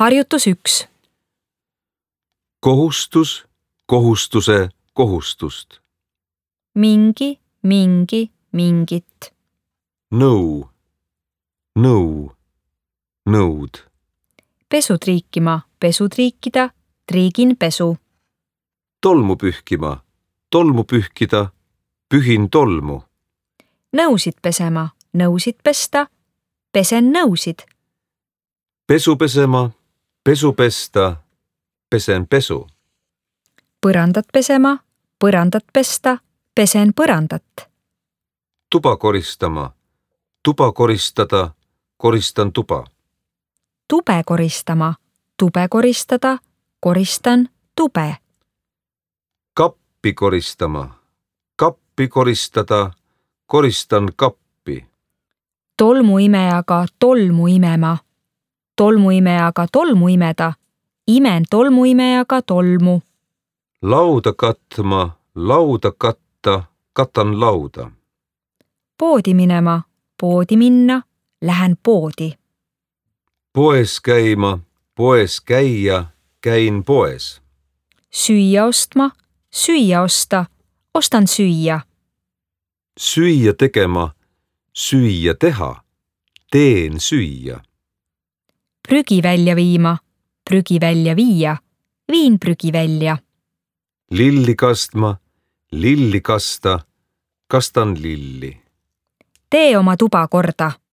Harjutus 1. Kohustus, kohustuse, kohustust. Mingi, mingit. Nõu, nõu, nõud. Pesu triikima, pesu triikida, triigin pesu. Tolmu pühkima, tolmu pühkida, pühin tolmu. Nõusid pesema, nõusid pesta, pesen nõusid. Pesu pesema, pesu pesta, pesen pesu. Põrandat pesema, põrandat pesta, pesen põrandat. Tuba koristama, tuba koristada, koristan tuba. Tube koristama, tube koristada, koristan tube. Kappi koristama, kappi koristada, koristan kappi. Tolmuimejaga tolmu imema, tolmuimejaga tolmu imeda, imen tolmuimejaga tolmu. Lauda katma, lauda katta, katan lauda. Poodi minema, poodi minna, lähen poodi. Poes käima, poes käia, käin poes. Süüa ostma, süüa osta, ostan süüa. Süüa tegema, süüa teha, teen süüa. Prügi välja viima, prügi välja viia, viin prügi välja. Lilli kastma, lilli kasta, kastan lilli. Tee oma tuba korda.